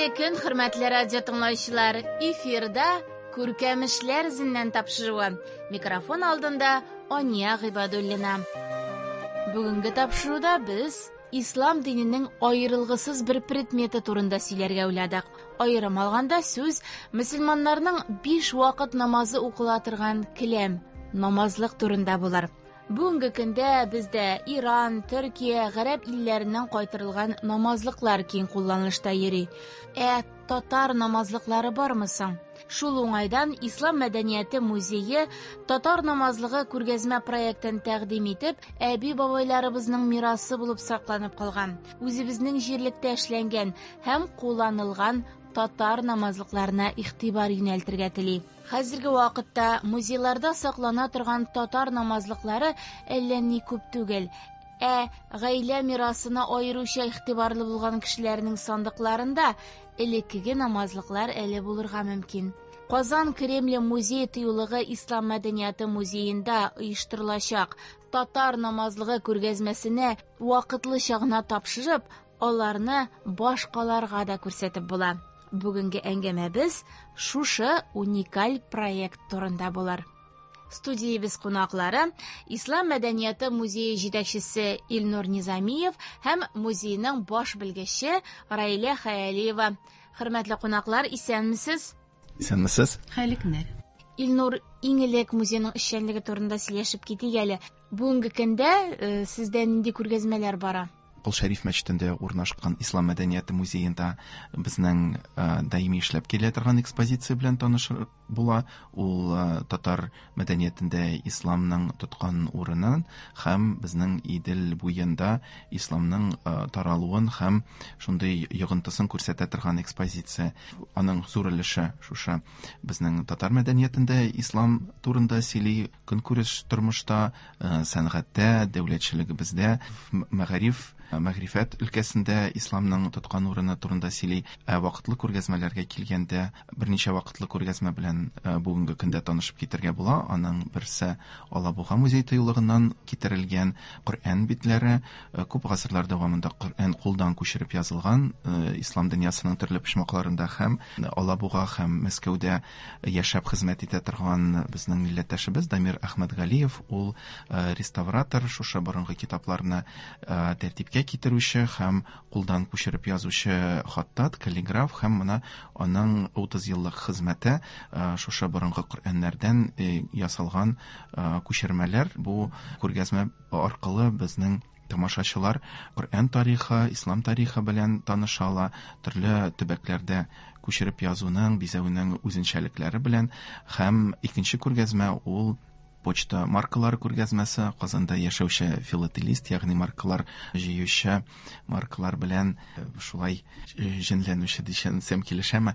Хәерле көн, хөрмәтле радио тыңлаучылар! Эфирда Күркәм эшләр эзеннән тапшыруы. Микрофон алдында Ания Гыйбадуллина. Бүгенге тапшыруда без ислам диненең аерылгысыз бер предметы турында сөйләргә уйладык. Аерым алганда сүз мөселманнарның биш вакыт намазы укыла торган келәм, намазлык турында булыр. Бүгенге көндә бездә Иран, Төркия, гарәп илләреннән кайтарылган намазлыклар киң кулланылышта йөри. Ә татар намазлыклары бармы соң? Шул уңайдан Ислам мәдәнияте музее татар намазлыгы күргәзмә проектын тәкъдим итеп, әби-бабайларыбызның мирасы булып сакланып калган, үзебезнең җирлектә эшләнгән һәм кулланылган татар намазлыкларына игътибар юнәлтергә тели. Хәзерге вакытта музейларда саклана торган татар намазлыклары әллә ни күп түгел. Ә гаилә мирасына аеруча игътибарлы булган кешеләрнең сандыкларында элеккеге намазлыклар әле булырга мөмкин. Казан Кремле музей тыюлыгы Ислам мәдәнияте музеенда оештырылачак татар намазлыгы күргәзмәсенә вакытлыча гына тапшырып, аларны башкаларга да күрсәтеп була. Бүгенге әңгәмәбез шушы уникаль проект турында булыр. Студиябез кунаклары Ислам мәдәнияте музее җитәкчесе Илнур Низамиев һәм музейның баш белгече Раилә Хәялиева. Хөрмәтле кунаклар, исәнмесез? Исәнмесез. Хәерле көннәр. Илнур, иң элек музейның эшчәнлеге турында сөйләшеп китик әле. Бүгенге көндә сездә нинди күргәзмәләр бара? Кол Шәриф мәчетендә урнашкан Ислам мәдәнияте музеенда безнең даими эшләп килә торган экспозиция белән танышып була. Ул татар мәдәниятендә исламның тоткан урынын һәм безнең Идел буенда исламның таралуын һәм шундый йогынтысын күрсәтә торган экспозиция. Аның зур өлеше шушы безнең татар мәдәниятендә ислам турында сөйли, көнкүреш тормышта, сәнгатьтә, дәүләтчелегебездә, мәгариф, мәгърифәт өлкәсендә исламның тоткан урыны турында сөйли. Ә вакытлы күргәзмәләргә килгәндә, берничә вакытлы күргәзмә белән бүгенге көндә танышып китәргә була. Аның берсе Алабуга музей тыюлыгыннан китерелгән Коръән битләре. Күп гасырлар дәвамында Коръән кулдан күчереп язылган ислам дөньясының төрле почмакларында һәм Алабуга һәм Мәскәүдә яшәп хезмәт итә торган безнең милләттәшебез Дамир Әхмәтгалиев, ул реставратор, шушы борынгы китапларны тәртипкә китерүче һәм кулдан күчереп язучы хаттат, каллиграф, һәм менә аның 30 еллык хезмәте шушы борынгы Коръәннәрдән ясалган күчермәләр. Бу күргәзмә аркылы безнең тамашачылар Коръән тарихы, ислам тарихы белән таныша ала, төрле төбәкләрдә күчереп язуның, бизәүнең үзенчәлекләре белән. Һәм икенче күргәзмә ул почта маркалары күргәзмәсе, Казанда яшәүче филателист, ягъни маркалар җыючы, маркалар белән шулай җенләнүче дисәм килешәме?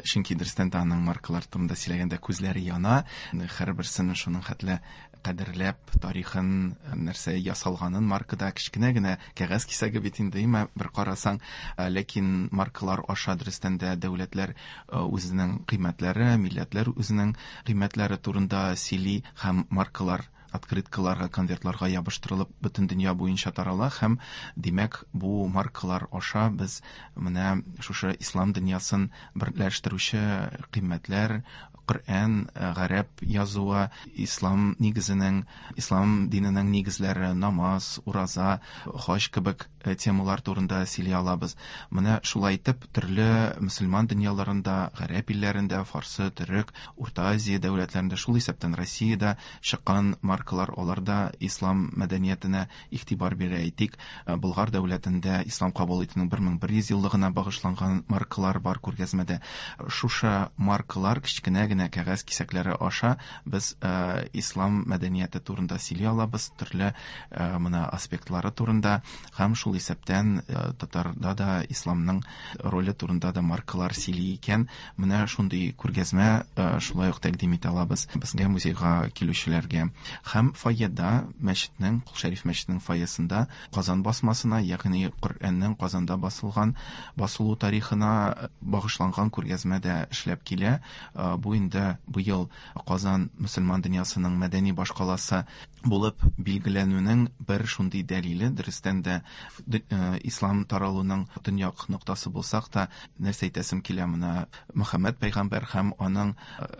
Чөнки дөрестән дә аның маркалар турында сөйләгәндә күзләре яна, һәрберсен шуның хәтле кадерләп, тарихын, нәрсә ясалганын маркада кечкенә генә кәгазь кисәге бит инде, әмма бер карасаң, ләкин маркалар аша дөрестән дә дәүләтләр үзенең кыйммәтләре, милләтләр үзенең кыйммәтләре турында сөйли һәм маркалар открыткаларга, конвертларга ябыштырылып бөтен дөнья буенча тарала һәм, димәк, бу маркалар аша без менә шушы ислам дөньясын берләштерүче кыйммәтләр, Коръән, гарәп язуы, ислам нигезенең, ислам диненең нигезләре, намаз, ураза, хаҗ кебек темалар турында сөйли алабыз. Менә шулай итеп, төрле мөселман дөньяларында, гарәп илләрендә, фарсы, төрек, Урта Азия дәүләтләрендә, шул исәптән Россиядә чыккан маркалар, алар да ислам мәдәниятенә игътибар бирә. Әйтик, Болгар дәүләтендә ислам кабул итүнең 1100 еллыгына багышланган маркалар бар күргәзмәдә. Шушы маркалар кечкенә генә кәгазь кисәкләре аша без ислам мәдәнияте турында сөйли алабыз, төрле менә аспектлары турында һәм шул исәптән татарда да исламның роле турында да маркалар сөйли икән. Менә шундый күргәзмә шулай ук тәкъдим итә алабыз безгә, музейга килүчеләргә. Һәм фойеда, мәчетнең, Кол Шәриф мәчетенең фойесында Казан басмасына, ягъни Коръәннең Казанда басылган, басылу тарихына багышланган күргәзмә дә эшләп килә. Бу инде быел Казан мөселман дөньясының мәдәни башкаласы булып билгеләнүнең бер шундый дәлиле. Дөрестән дә, ислам таралуның төньяк ноктасы булсак та, нәрсә әйтәсем килә, менә Мөхәммәд пәйгамбәр һәм аның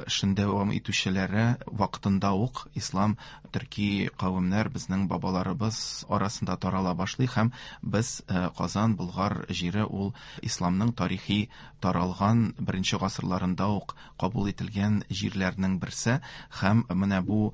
эшен дәвам итүчеләре вакытында ук ислам төрки кавемнәр, безнең бабаларыбыз арасында тарала башлый, һәм без Казан, Болгар җире ул исламның тарихи таралган беренче гасырларында ук кабул ителгән җирләрнең берсе. Һәм менә бу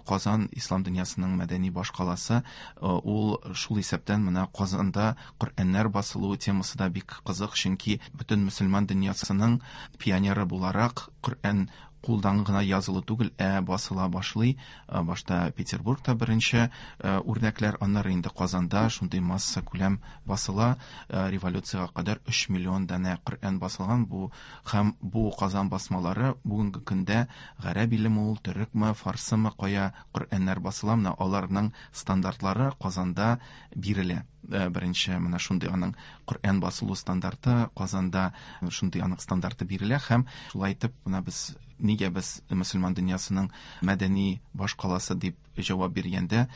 Казан ислам дөньясының мәдәни башкаласы, ул шул исәптән менә Казанда Коръәннәр басылуы темасы да бик кызык, чөнки бөтен мөселман дөньясының пионеры буларак Коръән кулдан гына язылу түгел, ә басыла башлый. Башта Петербургта беренче үрнәкләр, аннары инде Казанда шундый масса күләм басыла. Революциягә кадәр 3 миллион данә Коръән басылган бу, һәм бу Казан басмалары бүгенге көндә гарәп илеме ул, төрекме, фарсымы, кая Коръәннәр басыла, менә аларның стандартлары Казанда бирелә. Беренче менә шундый аның Коръән басылу стандарты Казанда шундый аның стандарты бирелә, һәм шулай итеп менә без нигә без мөселман дөньясының мәдәни башкаласы дип җавап биргәндә,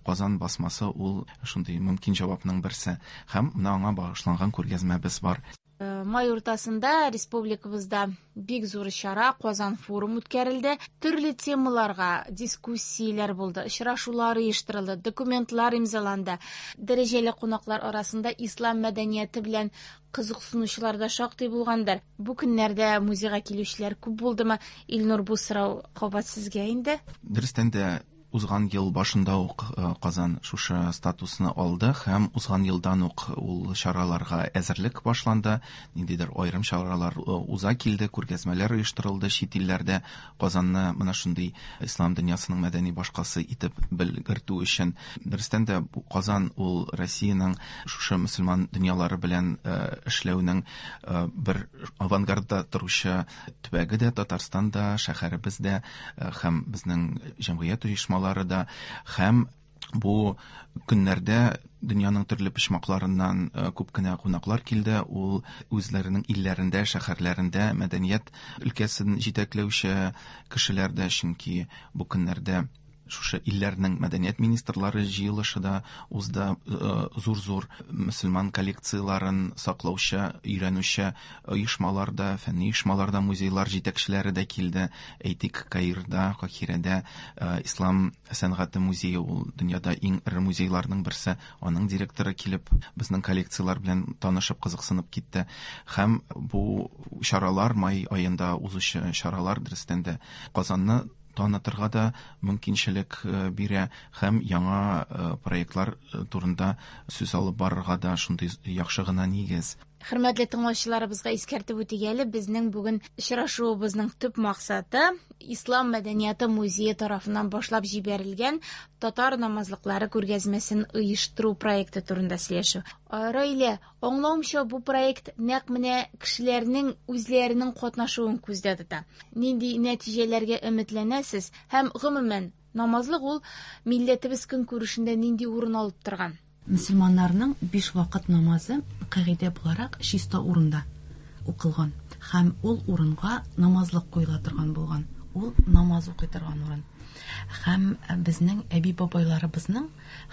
Казан басмасы ул шундый мөмкин җавапның берсе, һәм менә аңа багышланган күргәзмәбез бар. Май уртасында республикабызда бик зур чара Казан форум үткәрелде. Төрле темаларга дискуссияләр булды, очрашулар оештырылды, документлар имзаланды. Дәрәҗәле кунаклар арасында ислам мәдәнияте белән кызыксынучылар да шактый булгандыр. Бу көннәрдә музейга килүчеләр күп булдымы? Илнур, бу сорау кабат сезгә инде. Дөрестән дә, узган ел башында ук Казан шушы статусны алды, һәм узган елдан ук ул чараларга әзерлек башланды. Ниндидер аерым чаралар уза килде, күргәзмәләр оештырылды чит илләрдә Казанны менә шундый ислам дөньясының мәдәни башкаласы итеп белгертү өчен. Дөрестән дә, Казан ул Россиянең шушы мөселман дөньялары белән эшләүнең бер авангардта торучы төбәге дә, Татарстан да, шәһәребез дә, һәм безнең җәмгыять оешмалары да, һәм бу көннәрдә дөньяның төрле почмакларыннан күп кенә кунаклар килде. Ул үзләренең илләрендә, шәһәрләрендә мәдәният өлкәсен җитәкләүче кешеләр дә, чөнки бу көннәрдә шушы илләрнең мәдәният министрлары җыелышы да узды, зур-зур мөселман коллекцияләрен саклаучы, өйрәнүче оешмалар да, фәнни оешмалар да, музейлар җитәкчеләре дә килде. Әйтик, Каирда, Кахирәдә Ислам сәнгате музее, ул дөньяда иң эре музейларның берсе, аның директоры килеп безнең коллекцияләр белән танышып, кызыксынып китте. Һәм бу чаралар, май аенда узучы чаралар, дөрестән дә, Казанны танытырга да мөмкинчелек бирә һәм яңа проектлар турында сүз алып барырга да шундый яхшы гына нигез. Хөрмәтле тыңлаучыларыбызга искәртеп үтик әле, безнең бүген очрашуыбызның төп максаты Ислам мәдәнияте музее тарафыннан башлап җибәрелгән татар намазлыклары күргәзмәсен оештыру проекты турында сөйләшү. Раилә, аңлавымча, бу проект нәкъ менә кешеләрнең үзләренең катнашуын күздә тота. Нинди нәтиҗәләргә өметләнәсез һәм гомумән намазлык ул милләтебез көнкүрешендә нинди урын алып торган? Мөселманнарның 5 вакыт намазы кагыйдә буларак чиста урында укылган һәм ул урынга намазлык куела торган булган. Ул намаз укый торган урын. Һәм безнең әби-бабайларыбызның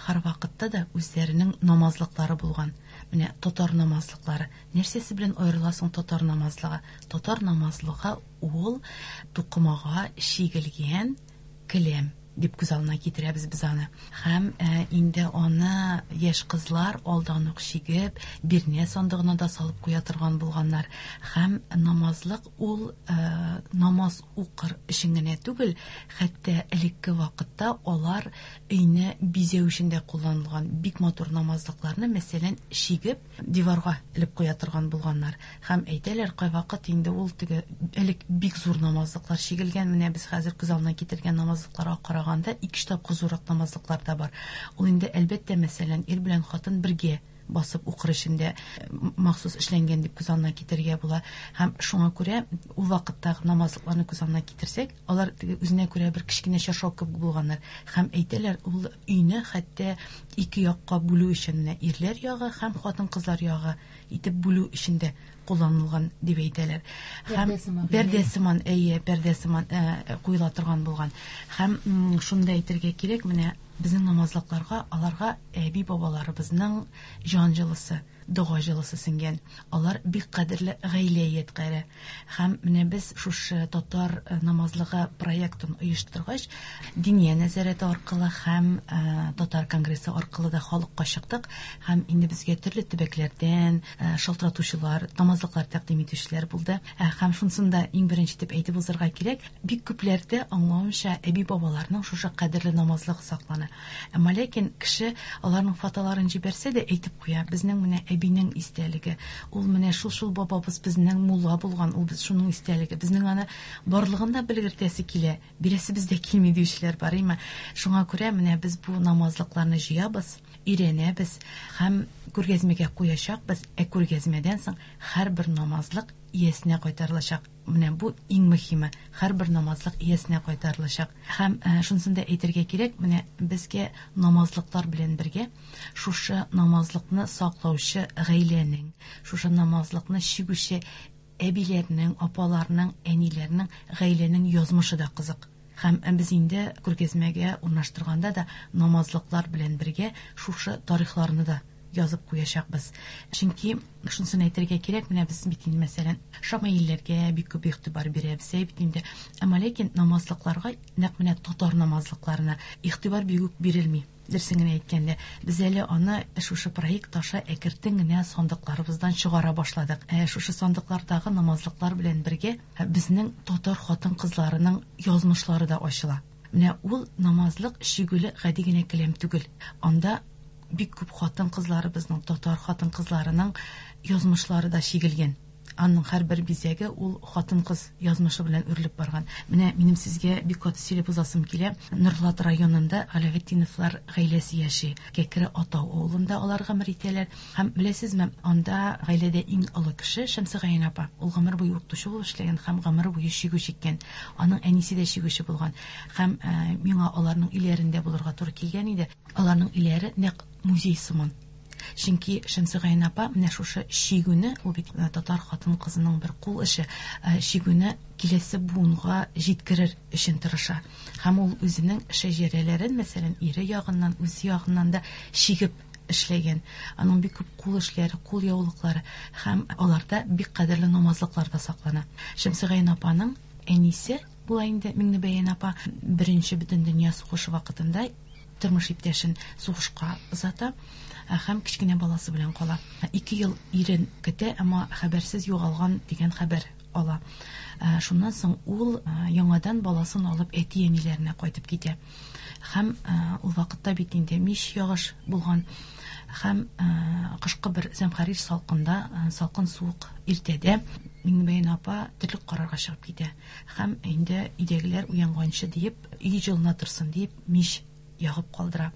һәр вакытта да үзләренең намазлыклары булган. Менә татар намазлыклары. Нәрсәсе белән аерыла соң татар намазлыгы? Татар намазлыгы ул тукымага чигелгән келәм дип күз алдына китерәбез без аны. Һәм инде аны яшь кызлар алдан ук чигеп, бирнә сандыгына да салып куя торган булганнар. Һәм намазлык ул намаз укыр өчен генә түгел, хәтта элекке вакытта алар өйне бизәү өчен дә кулланылган. Бик матур намазлыкларны, мәсәлән, чигеп диварга элеп куя торган булганнар. Һәм әйтәләр, кайвакыт инде ул теге элек бик зур намазлыклар чигелгән. Менә без хәзер күз алдына китергән намазлыкларга караганда 2-3 тапкыр зуррак намазлыклар да бар. Ул инде әлбәттә, мәсәлән, ир белән хатын бергә басып укыр өчен дә махсус эшләнгән дип күз алдына китерергә була. Һәм шуңа күрә ул вакыттагы намазлыкларны күз алдына китерсәк, алар теге үзенә күрә бер кечкенә чаршау кебек булганнар. Һәм әйтәләр, ул өйне хәтта ике якка бүлү өчен, менә ирләр ягы һәм хатын-кызлар ягы итеп бүлү өчен дә кулланылган дип әйтәләр. Һәм пәрдә сыман, әйе, пәрдә сыман куела торган булган. Һәм шуны да әйтергә кирәк, менә безнең намазлыкларга аларга әби-бабаларыбызның җан җылысы, дога җылысы сеңгән. Алар бик кадерле гаилә ядкәре. Һәм менә без шушы татар намазлыгы проектын оештыргач, Диния нәзарәте аркылы һәм татар конгрессы аркылы да халыкка чыктык. Һәм инде безгә төрле төбәкләрдән шалтыратучылар, намазлыклар тәкъдим итүчеләр булды. Һәм шунысын да иң беренче итеп әйтеп узарга кирәк, бик күпләрдә аңлавымча, әби-бабаларның шушы кадерле намазлыгы саклана. Әмма ләкин кеше аларның фотоларын җибәрсә дә әйтеп куя, безнең менә әбинең истәлеге, ул менә шул-шул бабабыз безнең мулла булган, ул без шуның истәлеге, безнең аны барлыгын да белгертәсе килә, бирәсебез дә килми диючеләр бар, әйме. Шуңа күрә менә без бу намазлыкларны җыябыз, өйрәнәбез һәм күргәзмәгә куячакбыз, ә күргәзмәдән соң һәрбер намазлык иясенә кайтарылачак. Менә бу иң мөһиме, һәрбер намазлык иясенә кайтарылачак. Һәм шунысын да әйтергә кирәк, менә безгә намазлыклар белән бергә шушы намазлыкны саклаучы гаиләнең, шушы намазлыкны чигүче әбиләрнең, апаларның, әниләрнең, гаиләнең язмышы да кызык. Һәм без инде күргәзмәгә урнаштырганда да намазлыклар белән бергә шушы тарихларны да язып куячакбыз. Чөнки шунысын әйтергә кирәк, менә без бит инде, мәсәлән, шамаилләргә бик күп игътибар бирәбез, әй бит инде. Әмма ләкин намазлыкларга, нәкъ менә татар намазлыкларына игътибар бик үк бирелми. Дөресен генә әйткәндә, без әле аны шушы проект аша әкертен генә сандыкларыбыздан чыгара башладык. Шушы сандыклардагы намазлыклар белән бергә безнең татар хатын-кызларының язмышлары да ачыла. Менә ул намазлык чигүле гади генә келәм түгел. Анда бик күп хатын-кызларыбызның, татар хатын-кызларының язмышлары да чигелгән. Аның һәрбер бизәге ул хатын-кыз язмышы белән үрелеп барган. Менә минем сезгә бик каты сөйләп узасым килә. Нурлат районында Галәветдиновлар гаиләсе яши. Кәкре Атау авылында алар гомер итәләр. Һәм беләсезме, анда гаиләдә иң олы кеше Шәмсегаян апа. Ул гомер буе укытучы булып эшләгән һәм гомер буе чигү чиккән. Аның әнисе дә чигүче булган. Һәм миңа аларның өйләрендә булырга туры килгән иде. Аларның өйләре нәкъ музей сыман. Чөнки Шәмсегаян апа менә шушы чигүне, ул бит татар хатын-кызының бер кул эше, чигүне киләсе буынга җиткерер өчен тырыша. Һәм ул үзенең шәҗәрәләрен, мәсәлән, ире ягыннан, үзе ягыннан да чигеп эшләгән. Аның бик күп кул эшләре, кул яулыклары һәм аларда бик кадерле намазлыклар да саклана. Шәмсегаян апаның әнисе була инде Миңнебәян апа, беренче бөтендөнья сугышы вакытында тормыш иптәшен сугышка озата һәм кечкенә баласы белән кала. 2 ел ирен көтә, әмма хәбәрсез югалган дигән хәбәр ала. Шуннан соң ул яңадан баласын алып әти-әниләренә кайтып китә. Һәм ул вакытта бит инде мич ягыш булган. Һәм кышкы бер зәмхәрир салкында, салкын суык иртәдә Миңнебәян апа терлек карарга чыгып китә. Һәм инде өйдәгеләр уянганчы диеп, өй җылына торсын диеп, мич ягып калдыра.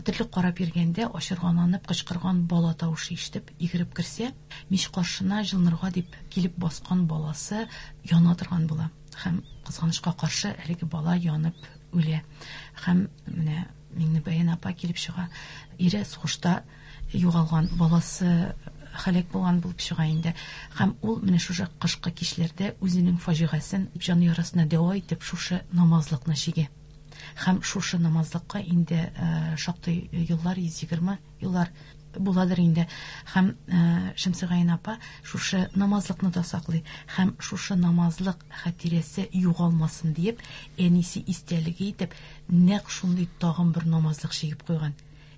Терлек карап йөргәндә ачыргаланып кычкырган бала тавышы ишетеп, йөгереп керсә, мич каршына җылынырга дип килеп баскан баласы яна торган була. Һәм кызганычка каршы әлеге бала янып үлә. Һәм менә Миңнебәян апа килеп чыга. Ире сугышта югалган, баласы һәлак булган булып чыга инде. Һәм ул менә шушы кышкы кичләрдә үзенең фаҗигасын җан ярасына дәва итеп шушы намазлыкны чигә. Һәм шушы намазлыкка инде шактый еллар, 120 еллар буладыр инде. Һәм Шәмсегаян апа шушы намазлыкны да саклый. Һәм шушы намазлык хатирәсе югалмасын диеп, әнисе истәлеге итеп, нәкъ шундый тагын бер намазлык чигеп куйган.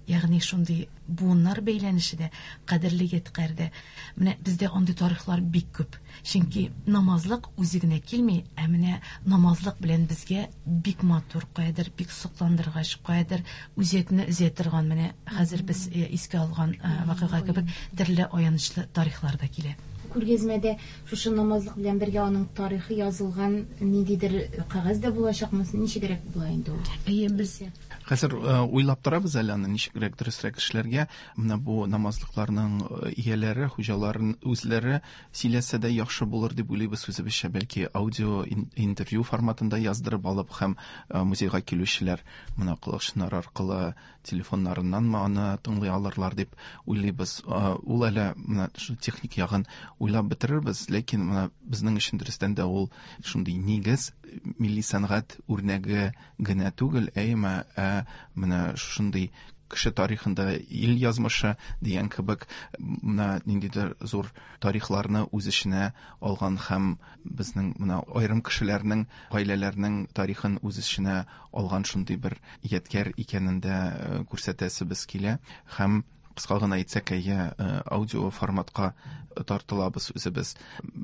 Ягъни шундый буыннар бәйләнеше дә, кадерле ядкәр дә. Менә бездә андый тарихлар бик күп. Чөнки намазлык үзе генә килми, ә менә намазлык белән безгә бик матур, каядыр бик сокландыргыч, каядыр үзәкне өзә торган, менә хәзер без искә алган вакыйга кебек төрле аянычлы тарихлар да килә. Күргәзмәдә шушы намазлык белән бергә аның тарихы язылган ниндидер кәгазь дә булачакмы? Ничегрәк була инде ул? Әйе, без Хәзер уйлап торабыз әле аны ничегрәк дөресрәк эшләргә. Менә бу намазлыкларның ияләре, хуҗаларын үзләре сөйләсә дә яхшы булыр дип уйлыйбыз үзебезчә. Бәлки аудио интервью форматында яздырып алып һәм музейга килүчеләр менә колакчыннар аркылы телефоннарыннанмы аны тыңлый алырлар дип уйлыйбыз. Ул әле менә шу техник ягын уйлап бетерербез, ләкин менә безнең өчен дөрестән дә ул шундый нигез, милли сәнгать үрнәге генә түгел, әмма менә шундый кеше тарихында ил язмышы дигән кебек менә ниндидер зур тарихларны үз эченә алган һәм безнең менә аерым кешеләрнең, гаиләләрнең тарихын үз эченә алган шундый бер ядкәр икәнен дә күрсәтәсебез килә. Һәм кыска гына әйтсәк, әйе, аудио форматка тартылабыз үзебез.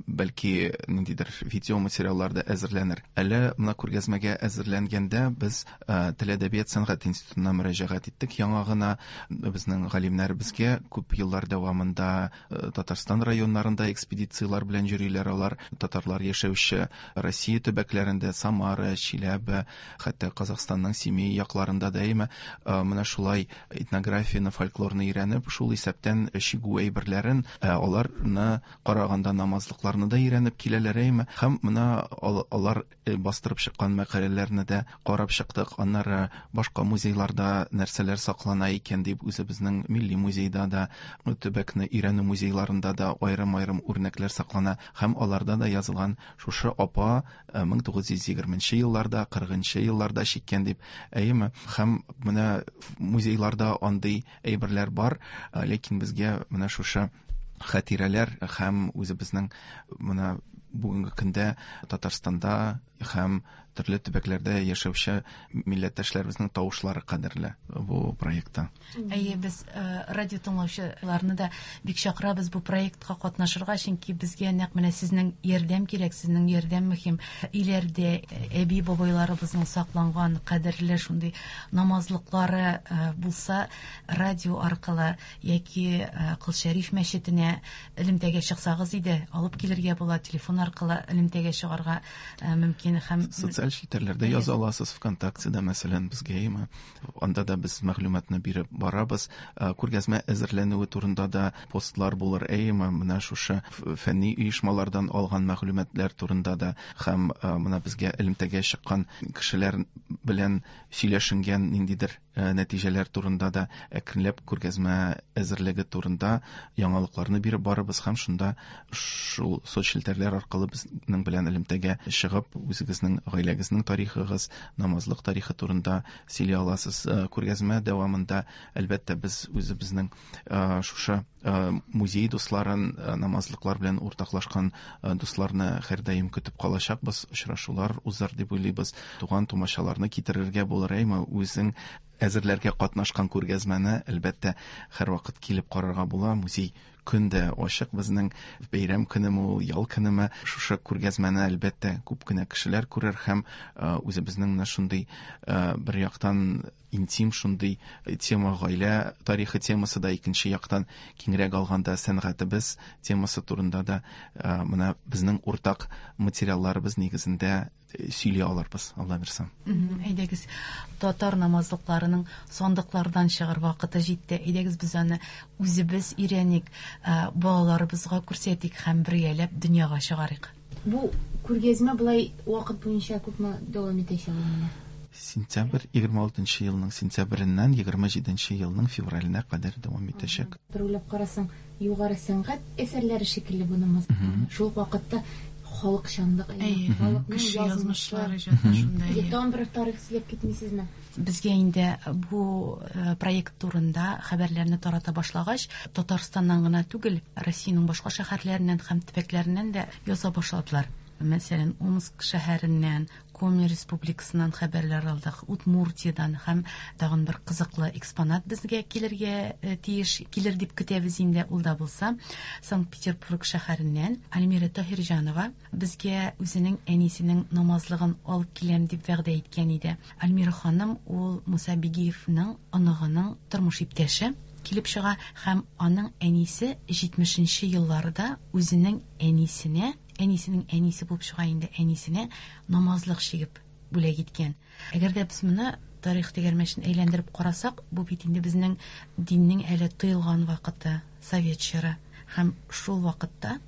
Бәлки ниндидер видео материаллар да әзерләнер. Әле менә күргәзмәгә әзерләнгәндә без Тел әдәбият сәнгать институтына мөрәҗәгать иттек. Яңа гына безнең галимнәр безгә күп еллар дәвамында Татарстан районнарында экспедицияләр белән йөриләр. Алар татарлар яшәүче Россия төбәкләрендә, Самара, Чиләбе, хәтта Казахстанның Семей якларында да әйме, менә шулай этнографияне, фольклорны өйрәнеп, шул исәптән чигү әйберләрен, аларны караганда намазлыкларны да өйрәнеп киләләр әйме. Һәм менә алар бастырып чыккан мәкаләләрне дә карап чыктык. Аннары башка музейларда нәрсәләр саклана икән дип үзебезнең милли музейда да, төбәкне өйрәнү музейларында да аерым-аерым үрнәкләр саклана. Һәм аларда да язылган шушы апа 1920 елларда, 40 елларда чиккән дип, әйеме? Һәм менә музейларда андый әйберләр бар, ләкин безгә менә шушы хатирәләр һәм үзебезнең менә бүгенге көндә Татарстанда һәм төрле төбәкләрдә яшәүче милләттәшләребезнең тавышлары кадерле бу проектта. Әйе, без радио тыңлаучыларны да бик чакырабыз бу проектка катнашырга, чөнки безгә нәкъ менә сезнең ярдәм кирәк, сезнең ярдәм мөһим. Өйләрдә әби-бабайларыбызның сакланган кадерле шундый намазлыклары булса, радио аркылы яки Кол Шәриф мәчетенә элемтәгә чыксагыз иде, алып килергә була, телефон аркылы элемтәгә чыгарга мөмкин һәм социаль челтәрләрдә яза аласыз, ВКонтактеда, мәсәлән, безгә әйме, анда да без мәгълүматны биреп барабыз. Күргәзмә әзерләнүе турында да постлар булыр, әйме, менә шушы фәнни оешмалардан алган мәгълүматлар турында да һәм менә безгә элемтәгә чыккан кешеләр белән сөйләшенгән ниндидер нәтиҗәләр турында да әкренләп күргәзмә әзерлеге турында яңалыкларны биреп барабыз һәм шунда шул соцчелтәрләр аркылы безнең белән элемтәгә чыгып, үзегезнең гаиләгезнең тарихыгыз, намазлык тарихы турында сөйли аласыз. Күргәзмә дәвамында, әлбәттә, без үзебезнең шушы музей дусларын, намазлыклар белән уртаклашкан дусларны һәрдаим көтеп калачакбыз, очрашулар узар дип уйлыйбыз. Туган тумачаларны китерергә булыр, әйме, үзең әзерләргә катнашкан күргәзмәне, әлбәттә, һәрвакыт килеп карарга була. Музей көн дә ачык безнең, бәйрәм көнеме ул, ял көнеме, шушы күргәзмәне, әлбәттә, күп кенә кешеләр күрер һәм үзебезнең менә шундый бер яктан интим шундый тема, гаилә тарихы темасы да, икенче яктан киңрәк алганда сәнгатебез темасы турында да менә безнең уртак материалларыбыз нигезендә сөйли алырбыз, Алла бирсә. Әйдәгез, татар намазлыкларының сандыклардан чыгар вакыты җитте. Әйдәгез, без аны үзебез өйрәник, балаларыбызга күрсәтик һәм бергәләп дөньяга чыгарыйк. Бу күргәзмә былай вакыт буенча күпме дәвам итәчәк ул? Сентябрь, 26 елның сентябреннән 27 елның февраленә кадәр дәвам итәчәк. Бер уйлап карасаң, югары сәнгать әсәрләре шикелле бу намаз. Шул ук вакытта халыкчанлык, халыкның Кеше язмышлары язмышлары иҗаты шунда. Тагын бер тарих сөйләп китмисезме? Безгә инде бу проект турында хәбәрләрне тарата башлагач, Татарстаннан гына түгел, Россиянең башка шәһәрләреннән һәм төбәкләреннән дә яза башладылар. Мәсәлән, Омск шәһәреннән, Коми республикасыннан хәбәрләр алдык, Удмуртиядан һәм тагын бер кызыклы экспонат безгә килергә тиеш, килер дип көтәбез инде, ул да булса, Санкт-Петербург шәһәреннән Альмира Таһирҗанова безгә үзенең әнисенең намазлыгын алып киләм дип вәгъдә иткән иде. Альмира ханым ул Муса Бигиевның оныгының тормыш иптәше килеп чыга һәм аның әнисе 70 елларда үзенең әнисенә, әнисенең әнисе булып чыга инде, әнисенә намазлык чигеп бүләк иткән. Әгәр дә без моны Тарих тәгәрмәчен әйләндереп карасак, бу бит инде безнең диннең әле тыелган вакыты, совет чоры. Һәм шул вакытта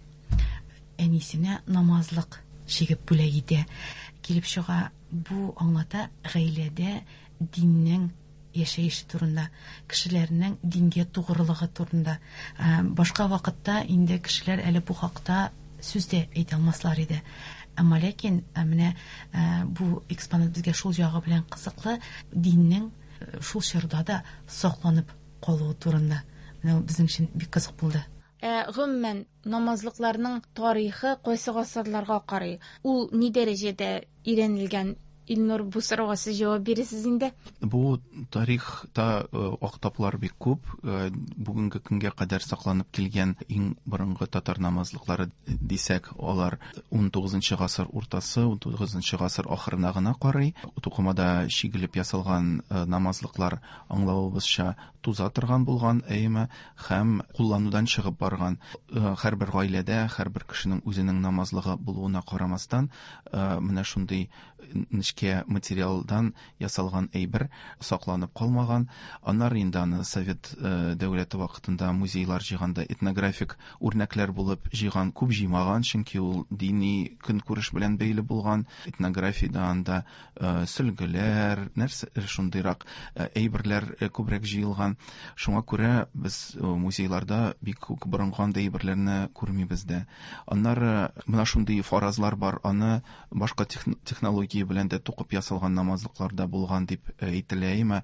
әнисенә намазлык чигеп бүләк итә. Килеп чыга, бу аңлата гаиләдә диннең яшәеше турында, кешеләрнең дингә тугрылыгы турында. Башка вакытта инде кешеләр әле бу хакта сүз дә әйтә алмаслар иде. Әмма ләкин менә бу экспонат безгә шул ягы белән кызыклы, диннең шул чорда да сакланып калуы турында. Менә безнең өчен бик кызык булды. Гомумән, намазлыкларның тарихы кайсы гасырларга карый? Ул ни дәрәҗәдә өйрәнелгән? Илнур, бу сорауга сез җавап бирәсез инде. Бу тарихта актаплар бик күп. Бүгенге көнгә кадәр сакланып килгән иң борынгы татар намазлыклары дисәк, алар 19 гасыр уртасы, 19 гасыр ахырына гына карый. Тукымада чигелеп ясалган намазлыклар, аңлавыбызча, туза торган булган, әйеме, һәм кулланудан чыгып барган. Һәрбер гаиләдә, һәрбер кешенең үзенең намазлыгы булуына карамастан, менә шундый нечкә материалдан ясалган әйбер сакланып калмаган. Аннары инде аны Совет дәүләте вакытында музейлар җыйганда этнографик үрнәкләр булып җыйган, күп җыймаган, чөнки ул дини көнкүреш белән бәйле булган. Этнографиядә анда сөлгеләр, нәрсә шундыйрак әйберләр күбрәк җыелган. Шуңа күрә без музейларда бик күп борынгы андый әйберләрне күрмибез дә. Аннары менә шундый фаразлар бар, аны башка технология белән дә тукып ясалган намазлыклар да булган дип әйтелә, әмма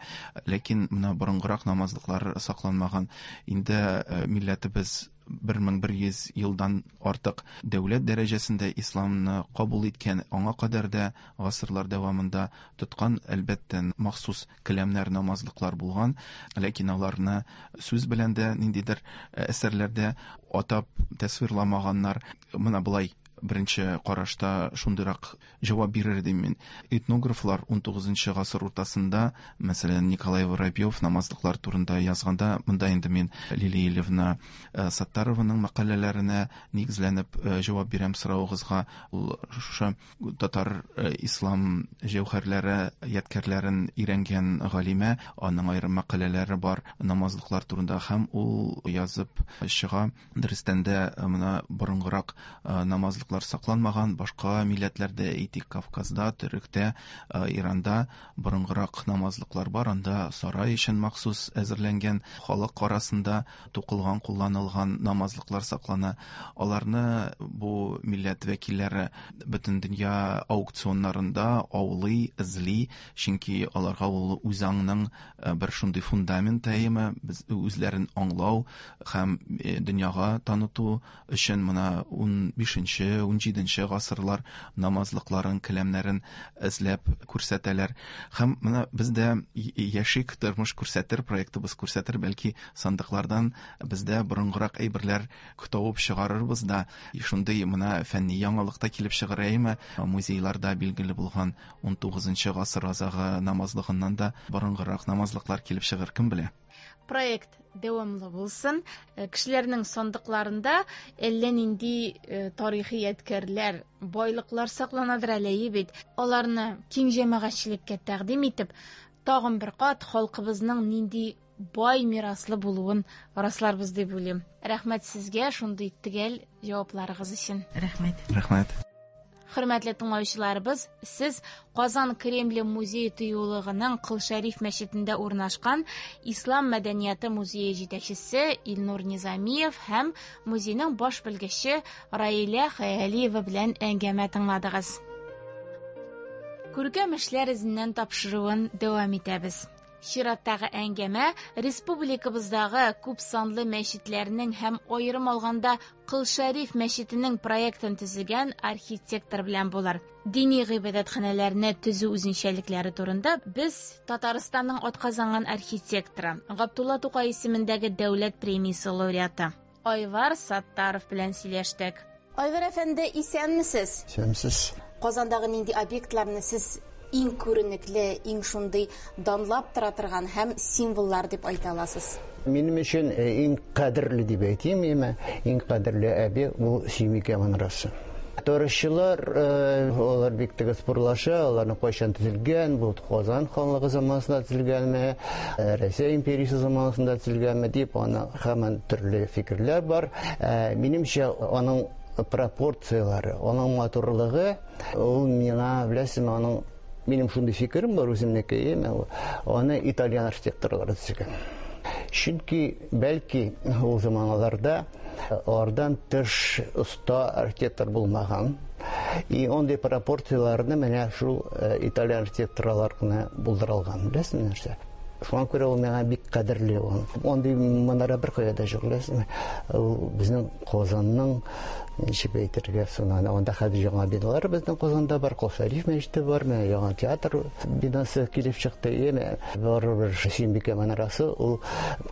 ләкин менә борынгырак намазлыклар сакланмаган. Инде милләтебез 1100 елдан артык дәүләт дәрәҗәсендә исламны кабул иткән, аңа кадәр дә гасырлар дәвамында тоткан, әлбәттә, махсус келәмнәр, намазлыклар булган, ләкин аларны сүз белән дә ниндидер әсәрләрдә атап тасвирламаганнар. Менә болай беренче карашта шундыйрак җавап бирер идем мин. Этнографлар 19 гасыр уртасында, мәсәлән, Николай Воробьев намазлыклар турында язганда, монда инде мин Лилия Ильевна Саттарованың мәкаләләренә нигезләнеп җавап бирәм соравыгызга. Ул шушы татар ислам җәүһәрләре, ядкәрләрен өйрәнгән галимә, аның аерым мәкаләләре бар намазлыклар турында, һәм ул язып чыга. Дөрестән дә, менә борынгырак намазлыклар сакланмаган, башка милләтләрдә, әйтик, Кавказда, Төректә, Иранда борынгырак намазлыклар бар, анда сарай өчен махсус әзерләнгән, халык арасында тукылган, кулланылган намазлыклар саклана. Аларны бу милләт вәкилләре бөтен дөнья аукционнарында аулый, эзли, чөнки аларга ул үзаңның бер шундый фундамент әйеме, без үзләрен аңлау һәм дөньяга таныту өчен менә 15-нче, 17-нче гасырлар намазлыкларын, келәмнәрен эзләп күрсәтәләр. Һәм менә без дә яшик тормыш күрсәтер, проектыбыз күрсәтер, бәлки сандыклардан бездә борынгырак әйберләр табып чыгарырбыз да, шундый менә фәнни яңалык та килеп чыгар, әйеме? Музейларда билгеле булган 19 гасыр азагы намазлыгыннан да борынгырак намазлыклар килеп чыгыр, кем белә? Проект дәвамлы булсын. Кешеләрнең сандыкларында әллә нинди тарихи ядкәрләр, байлыклар сакланадыр әле бит. Аларны киң җәмәгатьчелеккә тәкъдим итеп, тагын бер кат халкыбызның нинди бай мираслы булуын расларбыз дип уйлыйм. Рәхмәт сезгә шундый төгәл җавапларыгыз өчен. Рәхмәт. Рәхмәт. Хөрмәтле тыңлаучыларыбыз, сез Казан Кремле музей тыюлыгының Кол Шәриф мәчетендә урнашкан Ислам мәдәнияте музее җитәкчесе Илнур Низамиев һәм музейның баш белгече Раилә Хәялиева белән әңгәмә тыңладыгыз. Күркәм эшләр эзеннән тапшыруын дәвам итәбез. Чираттагы әңгәмә республикабыздагы күп санлы мәчетләрнең һәм аерым алганда Кол Шәриф мәчетенең проектын төзегән архитектор белән булыр. Дини гыйбадәтханәләрне төзү үзенчәлекләре турында без Татарстанның атказанган архитекторы, Габдулла Тукай исемендәге дәүләт премиясе лауреаты Айвар Саттаров белән сөйләштек. Айвар әфәнде, исәнмесез? Исәнмесез. Казандагы нинди объектларны сез иң күренекле, иң шундый данлап тора торган һәм символлар дип әйтә аласыз? Минем өчен иң кадерле дип әйтим, иң кадерле объект ул Сөембикә манарасы. Тарихчылар алар бик тиз спорлаша, аларны кайчан төзелгән, бу Казан ханлыгы заманында төзелгәнме, Россия империясе заманында төзелгәнме дип, аны һаман төрле фикерләр бар. Минемчә, аның пропорцияләре, аның матурлыгы, ул миңа, беләсезме, аның минем шундый фикерем бар үземнеке, аны итальян архитекторлары төзегән. Чөнки бәлки ул заманаларда алардан тыш оста архитектор булмаган. И андый пропорцияләрне менә шул итальян архитекторлар гына булдыра алган. Беләсезме нәрсә? Шуңа күрә ул миңа бик кадерле ул. Андый манара бер кая да юк, беләсезме? Ул безнең Казанның ничек әйтергә соң, анда хәзер яңа биналар безнең Казанда бар, Кол Шәриф мәчете бар, менә яңа театр бинасы килеп чыкты. Яме барыбер Сөембикә манарасы ул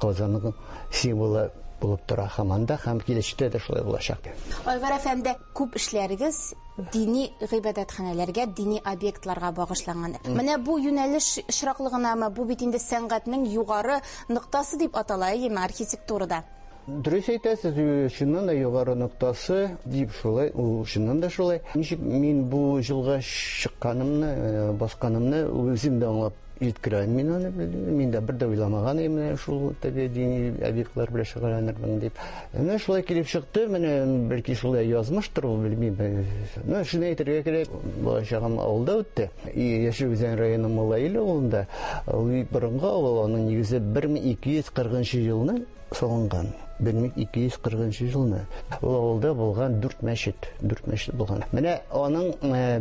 Казанның символы булып тора һаман да, һәм киләчәктә дә шулай булачак. Айвар әфәнде, күп эшләрегез дини гыйбадәтханәләргә, дини объектларга багышланган. Менә бу юнәлеш очраклы гынамы? Бу бит инде сәнгатьнең югары ноктасы дип атала, әйеме, архитектурада? Дөрес әйтәсез, чыннан да югары ноктасы дип шулай, ул чыннан да шулай. Ничек мин бу җылга чыкканымны, басканымны үзем дә аңлап җиткерә алмыйм аны. Мин дә бер дә уйламаган идем менә шул теге дини объектлар белән шөгыльләнермен дип. Менә шулай килеп чыкты, менә бәлки шулай язмыштыр ул, белмим. Ну, шуны әйтергә кирәк, балачагым авылда үтте. Яшел Үзән районы Муллаил авылында. Ул борынгы авыл, аның нигезе 1240 елны салынган. 1240 елны. Ул авылда булган 4 мәчет, 4 мәчет булган. Менә аның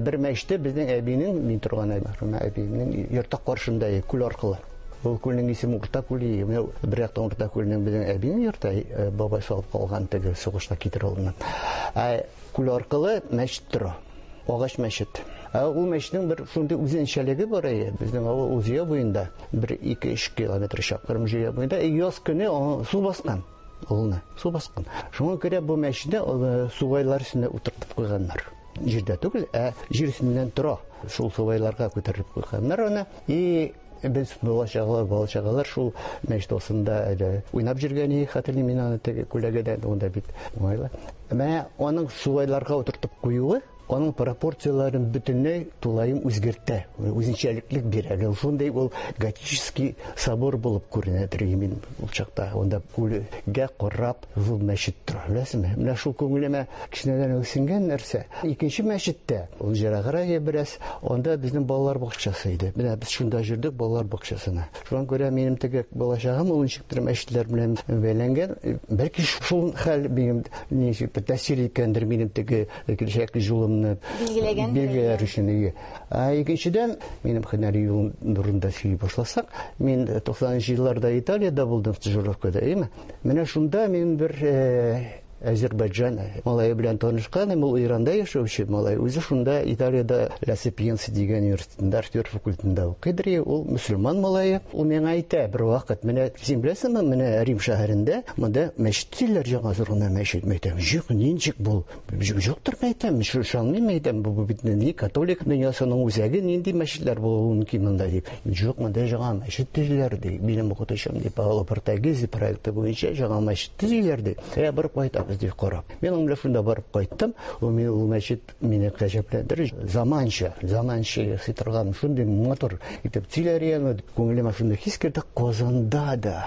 бер мәчете безнең әбинең, мин торган әбинең йорты каршында, күл аркылы. Ул күлнең исеме Урта күле. Менә бер яктан Урта күленең безнең әбинең йорты, бабай салып калган теге сугышта китереп алынган. Ә күл аркылы мәчет тора. Агач мәчет. Ә ул мәчетнең бер шундый үзенчәлеге бар әйе. Безнең авыл ул Зөя буенда, бер 2-3 километр чакрым Зөя буенда, яз көне су баскан. Авылны су баскан. Шуңа күрә бу мәчетне сугайлар өстенә утыртып куйганнар. Җирдә түгел, ә җир өстеннән тора. Шул сугайларга күтәреп куйганнар аны. И без бала-чагалар шул мәчет астында әле уйнап йөргән идек, хәтерлим мин аны теге күләгәдән, унда бит уңайлы. Менә аның сугайларга утыртып куюы аның пропорцияләрен бөтенләй тулаем үзгәртә, үзенчәлеклек бирә. Шундый ул готический собор булып күренәдер мин ул чакта. Унда күлгә карап зур мәчет тора, беләсезме? Менә шул күңелемә кечкенәдән үк сеңгән нәрсә. Икенче мәчеттә, ул ераграк бераз, анда безнең балалар бакчасы иде. Менә без шунда йөрдек балалар бакчасына. Шуңа күрә минем теге балачагым ул ничектер мәчетләр белән бәйләнгән. Бәлки шул хәл минем ничек тәэсир иткәндер минем теге киләчәк юлымны билгеләгән билгеләр өчен. Ә икенчедән, минем һөнәри юлым турында сөйли башласак, мин 90 елларда Италиядә булдым стажировкада, әйеме? Менә шунда мин бер Азербайджан малае белән танышкан, ул Иранда яшәүче малай. Үзе шунда Италиядә Ла Сапиенца дигән университетында архитектура факультетында укыйдыр. Ул мөселман малае. Ул миңа әйтә бер вакыт, менә син беләсеңме, менә Рим шәһәрендә монда мәчет төзиләр, яңа зур гына мәчет. Мин әйтәм, юк, ничек бу? Юктыр, мин әйтәм, ышанмыйм, мин әйтәм, бу бит ни католик дөньясының үзәге, нинди мәчетләр булуы мөмкин монда дип. Юк, монда яңа мәчет төзиләр ди. Минем укытучым ди, Паоло Портагези проекты буенча яңа мәчет төзиләр ди. Ә барып кайтабыз дип карап. Мин аның белән шунда барып кайттым. Ул мин ул мәчет мине гаҗәпләндерде. Заманча, заманча ясый торган шундый матур итеп төзиләр икән. Күңелемә шундый хис керде, Казанда да,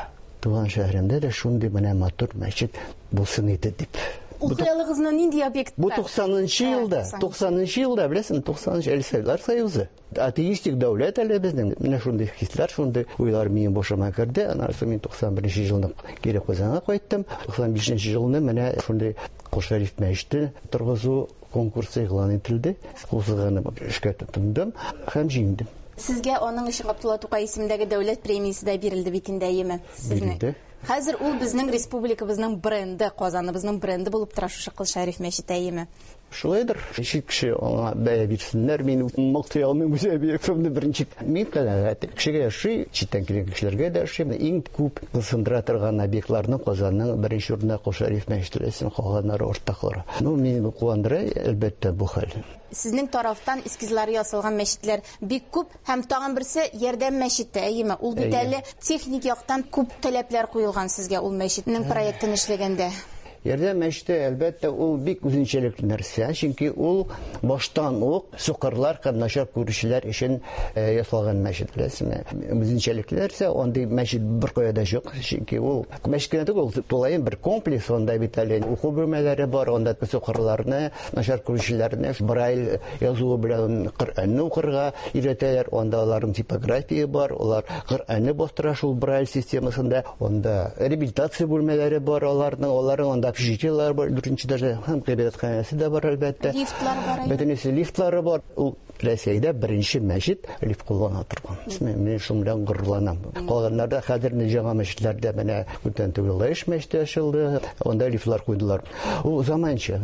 туган шәһәремдә дә шундый менә матур мәчет булсын иде дип. Ул хыялыгызны нинди объектта? Бу 90-нчы елда, 90-нчы елда, беләсеңме, 90-нчы әле Советлар Союзы. Атеистик дәүләт әле безнең. Менә шундый хисләр, шундый уйлар минем башыма керде. Аннан соң мин 91 елны кире Казанга кайттым. 95 елны менә шундый Кол Шәриф мәчете торгызу конкурсы игълан ителде. Кул сызганып эшкә тотындым һәм җиңдем. Сезгә аның өчен Габдулла Тукай исемендәге дәүләт премиясе дә бирелде бит инде, әйеме? Бирелде. Хәзер ул безнең республикабызның бренды, Казаныбызның бренды булып тора шушы Кол Шәриф мәчете, әйеме? Шулайдыр. Чит кеше аңа бәя бирсеннәр, мин мактый алмыйм үз объектымны беренче. Мин канәгать. Кешегә ошый, читтән килгән кешеләргә дә ошый. Иң күп сындыра торган объектларның Казанның беренче урында Кол Шәриф мәчете белән калганнары артта кала. Ну, мине куандыра, әлбәттә, бу хәл. Сезнең тарафтан эскизлары ясалган мәчетләр бик күп, һәм тагын берсе Ярдәм мәчете, әйеме? Ул бит әле техник яктан күп таләпләр куелган сезгә ул мәчетнең проектын эшләгәндә. Ярдәм мәчете, әлбәттә, ул бик үзенчәлекле нәрсә, чөнки ул баштан ук сукырлар һәм начар күрүчеләр өчен ясалган мәчет, беләсезме? Үзенчәлекле нәрсә, андый мәчет беркая да юк, чөнки ул мәчет кенә түгел, ул тулаем бер комплекс, анда бит әле уку бүлмәләре бар, анда сукырларны, начар күрүчеләрне Брайль язуы белән Коръәнне укырга өйрәтәләр, анда аларның типография бар, алар Коръәнне бастыра шул Брайль системасында, анда реабилитация бүлмәләре бар аларның, аларның анда общежитиеләр бар, дүртенче этажда һәм гыйбадәтханәсе дә бар, әлбәттә. Лифтлар бар. Бөтенесе лифтлары бар. Ул Рәсәйдә беренче мәчет лифт куллана торган. Мин шуның белән горурланам. Калганнарда хәзер яңа мәчетләрдә менә күптән түгел Лаеш мәчете ачылды, анда лифтлар куйдылар. Ул заманча.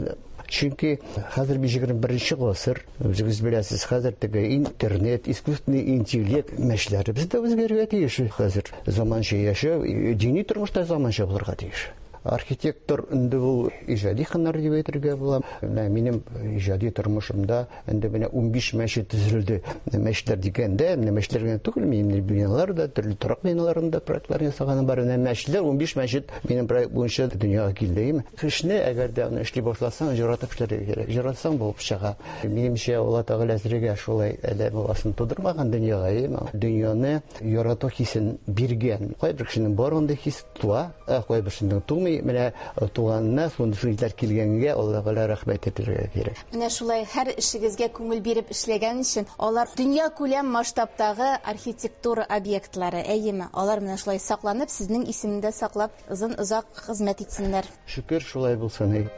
Чөнки хәзер бит 21 гасыр, үзегез беләсез, хәзер теге интернет, искусственный интеллект мәчетләребез дә үзгәрергә тиеш. Хәзер заманча яшәү, дини тормышта заманча булырга тиеш. Архитектор инде ул иҗади һөнәр дип әйтергә була. Менә минем иҗади тормышымда инде менә 15 мәчет төзелде. Мәчетләр дигәндә, менә мәчетләр генә түгел, минем биналар да, төрле торак биналарында проектлар ясаганым бар. Менә мәчетләр, 15 мәчет минем проект буенча дөньяга килде. Эшне, әгәр дә аны эшли башласаң, яратып эшләргә кирәк. Яратсаң булып чыга. Минемчә, Алла Тәгалә әзергә шулай адәм баласын тудырмаган дөньяга, әйеме? Дөньяны ярату хисен биргән. Кайбер кешенең бар андый хис туа, ә кайбер кешенең тумый. Менә туганына шундый сүзләр килгәнгә Алла Тәгалә рәхмәт әйтергә кирәк. Менә шулай һәр эшегезгә күңел биреп эшләгән өчен алар дөнья күләм масштабтагы архитектура объектлары, әйеме? Алар менә шулай сакланып, сезнең исемендә саклап, озын-озак хезмәт итсеннәр. Шөкер, шулай булсын.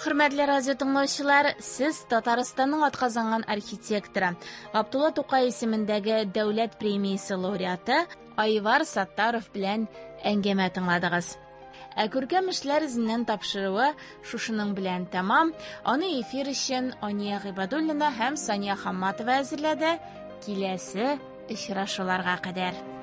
Хөрмәтле радио тыңлаучылар, сез Татарстанның атказанган архитекторы, Габдулла Тукай исемендәге дәүләт премиясе лауреаты Айвар Саттаров белән әңгәмә тыңладыгыз. Ә күркәм эшләр эзеннән тапшыруы шушының белән тәмам. Аны эфир өчен Ания Гыйбадуллина һәм Сания Хамматова әзерләде. Киләсе очрашуларга кадәр.